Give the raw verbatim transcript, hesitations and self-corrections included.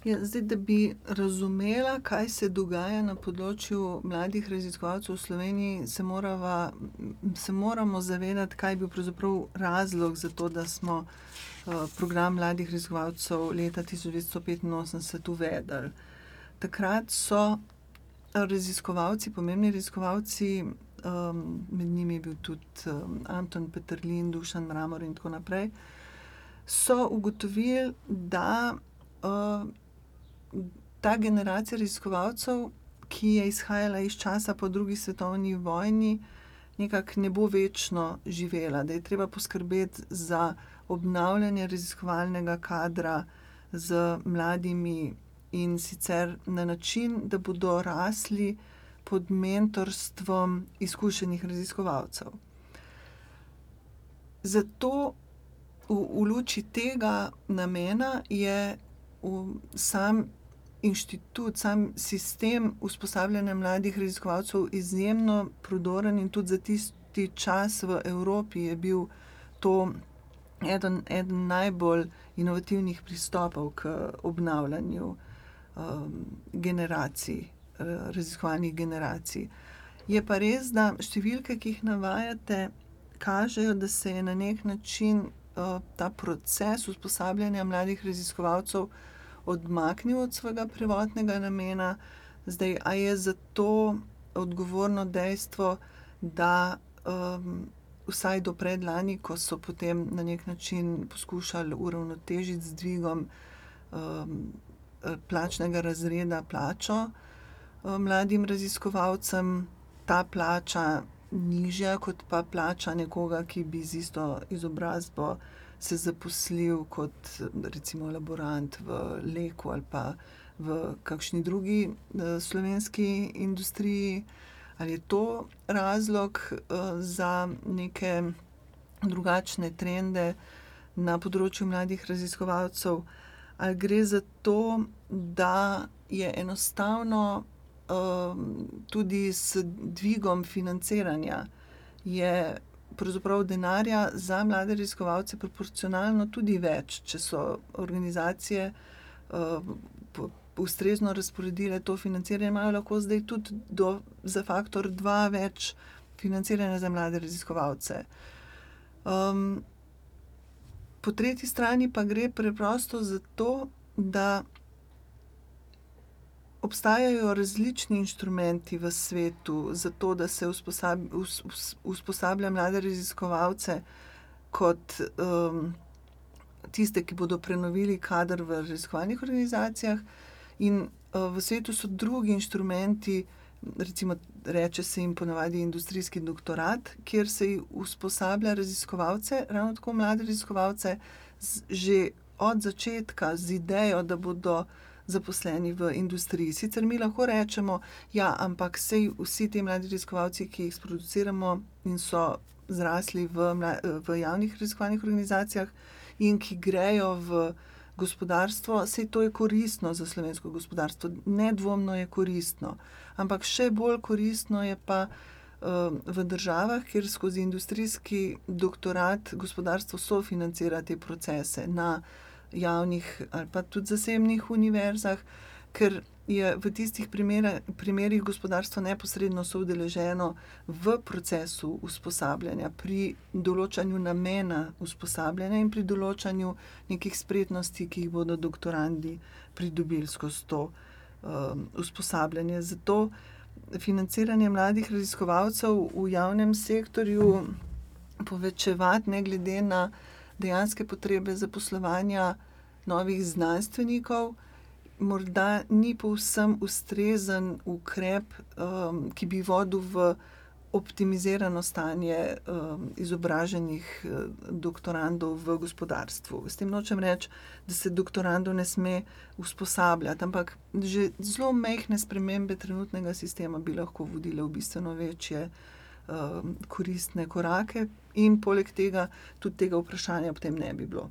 Ja, zdaj, da bi razumela, kaj se dogaja na področju mladih raziskovalcev v Sloveniji, se morava, se moramo zavedati, kaj je bil pravzaprav razlog za to, da smo program mladih raziskovalcev leta tisoč devetsto petinosemdeset uvedli. Takrat so raziskovalci, pomembni raziskovalci, med njimi je bil tudi Anton Peterlin, Dušan Mramor in tako naprej, so ugotovili, da ta generacija raziskovalcev, ki je izhajala iz časa po drugi svetovni vojni, nekako ne bo večno živela, da je treba poskrbeti za obnavljanje raziskovalnega kadra z mladimi, in sicer na način, da bodo rasli pod mentorstvom izkušenih raziskovalcev. Zato v, v luči tega namena je v sam inštitut, sam sistem usposabljanja mladih raziskovalcev izjemno prodoren in tudi za tisti čas v Evropi je bil to eden, eden najbolj inovativnih pristopov k obnavljanju um, generacij, raziskovalnih generacij. Je pa res, da številke, ki jih navajate, kažejo, da se je na nek način uh, ta proces usposabljanja mladih raziskovalcev odmaknil od svojega prvotnega namena. Zdaj, a je za to odgovorno dejstvo, da um, vsaj do predlani, ko so potem na nek način poskušali uravnotežiti z dvigom um, plačnega razreda plačo um, mladim raziskovalcem, ta plača nižja kot pa plača nekoga, ki bi z isto izobrazbo se zaposlil kot recimo laborant v Leku ali pa v kakšni drugi uh, slovenski industriji. Ali je to razlog uh, za neke drugačne trende na področju mladih raziskovalcev? Ali gre za to, da je enostavno uh, tudi s dvigom financiranja je pravzaprav denarja za mlade raziskovalce proporcionalno tudi več, če so organizacije uh, po, ustrezno razporedile to financiranje, imajo lahko zdaj tudi do, za faktor dva več financiranja za mlade raziskovalce. Um, po tretji strani pa gre preprosto za to, da obstajajo različni inštrumenti v svetu za to, da se usposab, us, us, usposablja mlade raziskovalce kot um, tiste, ki bodo prenovili kader v raziskovalnih organizacijah. In uh, v svetu so drugi inštrumenti, recimo reče se jim ponavadi industrijski doktorat, kjer se usposablja raziskovalce, ravno tako mlade raziskovalce, z, že od začetka z idejo, da bodo zaposleni v industriji. Sicer mi lahko rečemo, ja, ampak sej vsi ti mladi raziskovalci, ki jih sproduciramo in so zrasli v, v javnih raziskovalnih organizacijah in ki grejo v gospodarstvo, sej to je koristno za slovensko gospodarstvo. Nedvomno je koristno. Ampak še bolj koristno je pa uh, v državah, kjer skozi industrijski doktorat gospodarstvo sofinancira te procese na javnih ali pa tudi zasebnih univerzah, ker je v tistih primerih, primerih gospodarstvo neposredno soudeleženo v procesu usposabljanja, pri določanju namena usposabljanja in pri določanju nekih spretnosti, ki jih bodo doktorandi pridobili skozi to um, usposabljanje. Zato financiranje mladih raziskovalcev v javnem sektorju povečevati ne glede na dejanske potrebe zaposlovanja novih znanstvenikov, morda ni povsem ustrezen ukrep, um, ki bi vodil v optimizirano stanje um, izobraženih doktorandov v gospodarstvu. S tem nočem reči, da se doktorandov ne sme usposabljati, ampak že zelo majhne spremembe trenutnega sistema bi lahko vodile v bistveno večje koristne korake in poleg tega tudi tega vprašanja potem ne bi bilo.